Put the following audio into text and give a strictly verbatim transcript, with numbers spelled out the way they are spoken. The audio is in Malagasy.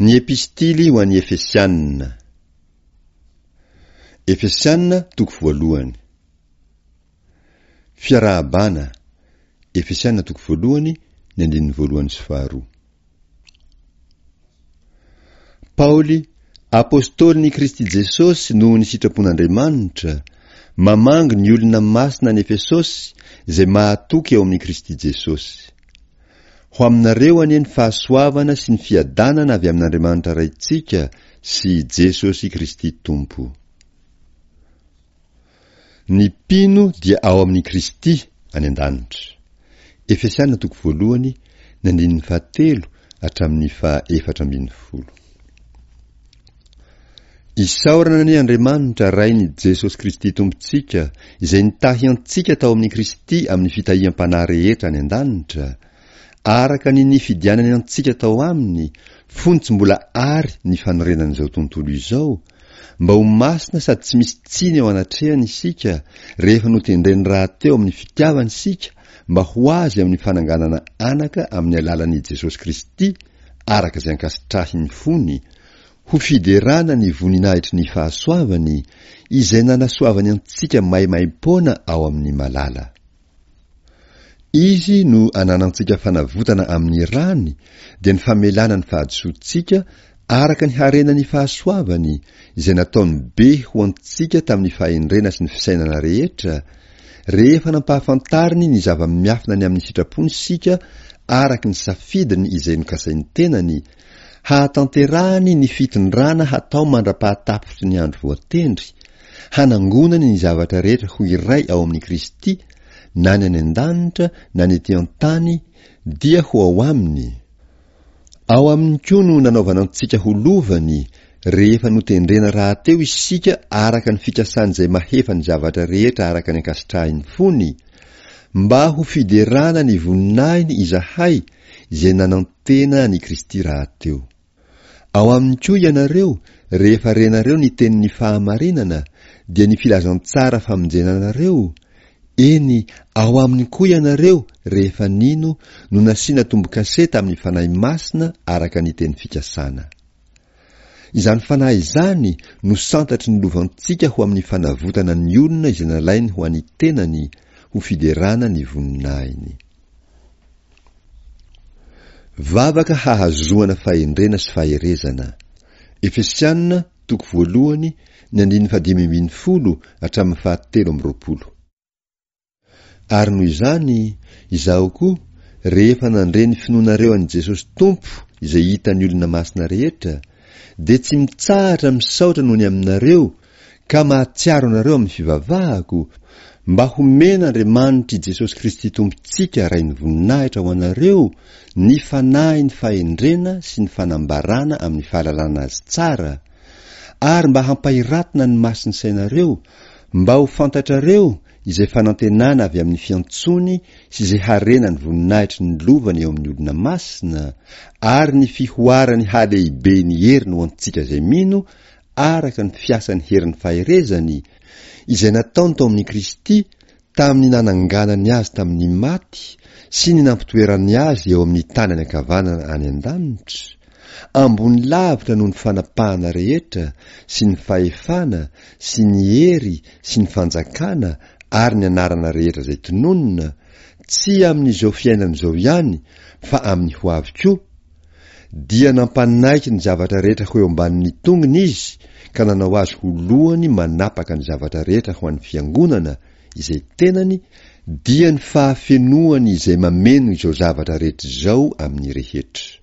Ny Epistily ho an'ny Efesianina. Efesianina toko voalohany. Fiarahabana, Efesianina toko voalohany, ny andininy voalohany sy faharoa. Paoly, apostolin'i Kristy Jesosy noho ny sitrapon'Andriamanitra, mamangy ny olona masina any Efesosy izay mahatoky ao amin'i Kristy Jesosy. Ho aminareo anie ny fahasoavana sy ny fiadanana avy amin'Andriamanitra Raintsika sy Jesosy Kristy Tompo. Ny mpino dia ao amin'i Kristy any an-danitra. Efesiana toko voalohany, ny andininy fahatelo hatramin'ny faha efatra ambin'ny folo. Isaorana anie Andriamanitra Rain'i Jesosy Kristy Tompontsika, izay nitahy antsika tao amin'i Kristy amin'ny fitahiam-panahy rehetra any an-danitra, araka ny nifidianany antsika tao aminy, fony tsy mbola àry ny fanorenan'izao tontolo izao, mba ho masina sady tsy misy tsiny eo anatrehany isika, rehefa notendreny rahateo amin'ny fitiavany isika mba ho azy amin'ny fananganana anaka amin'ny alalan'i Jesosy Kristy, araka izay ankasitrahin'ny fony, ho fiderana ny voninahitry ny fahasoavany, izay nanasoavany antsika maimaimpoana ao amin'ny malala. Izy no ananantsika fanavotana amin'ny rany, dia ny famelana ny fahadisoantsika araka ny harenan'ny fahasoavany, izay nataony be ho antsika tamin'ny fahendrena sy ny fisainana rehetra, rehefa nampahafantariny ny zava-miafina ny amin'ny sitrapony isika araka ny safidiny izay nokasain'ny tenany, hahatanterahany ny fitondrana hatao mandra-pahatapitry ny andro voatendry, hanangonany ny zavatra rehetra ho iray ao amin'i Kristy, na ny any an-danitra na ny ety an-tany, dia ho ao aminy. Ao aminy koa no nanaovana antsika ho lovany, rehefa notendrena rahateo isika araka ny fikasan'izay mahefa ny zavatra rehetra araka ny ankasitrahin'ny fony, mba ho fiderana ny voninahiny izahay izay nanantena an'i Kristy rahateo. Ao aminy koa ianareo, rehefa renareo ny tenin'ny fahamarinana, dia ny filazantsara famonjena anareo, eny, ao aminy koa ianareo, rehefa nino, no nasiana tombo-kase tamin'ny Fanahy Masina araka ny teny fikasana. Izany Fanahy izany no santatry ny lovantsika ho amin'ny fanavotana ny olona izay nalainy ho an'ny tenany, ho fiderana ny voninahiny. Vavaka hahazoana fahendrena sy faherezana. Efesiana toko voalohany ny andininy fahadimy ambin'ny folo hatramin'ny fahatelo amby roapolo. Ary noho izany, izaho koa, rehefa nandre ny finoanareo an'i Jesosy Tompo izay hitan'ny olona masina rehetra, dia tsy mitsahatra misaotra noho ny aminareo ka mahatsiaro anareo amin'ny fivavahako, mba homen'Andriamanitr'i Jesosy Kristy Tompontsika Rain'ny voninahitra ho anareo ny fanahin'ny fahendrena sy ny fanambarana amin'ny fahalalana Azy tsara, ary mba hampahiratina ny mason'ny sainareo, mba ho fantatrareo izay fanantenana avy amin'ny fiantsoany sy izay harena ny voninahitry ny lovany eo amin'ny olona masina, ary ny fihoaran'ny halehiben'ny heriny ho antsika izay mino, araka ny fiasan'ny herin'ny faherezany, izay nataony tao amin'i Kristy tamin'ny nananganany azy tamin'ny maty sy ny nampitoerany azy eo amin'ny tanany ankavanana any an-danitra, ambony lavitra noho ny fanapahana rehetra sy ny fahefana sy ny hery sy ny fanjakana ary ny anarana rehetra izay tononina, tsy amin'izao fiainana izao ihany fa amin'ny ho avy koa, dia nampanaiky ny zavatra rehetra ho eo ambanin'ny tongony izy ka nanao azy ho lohany manapaka ny zavatra rehetra ho an'ny fiangonana izay tenany, dia ny fahafenoany izay mameno izao zavatra rehetra izao amin'ny rehetra.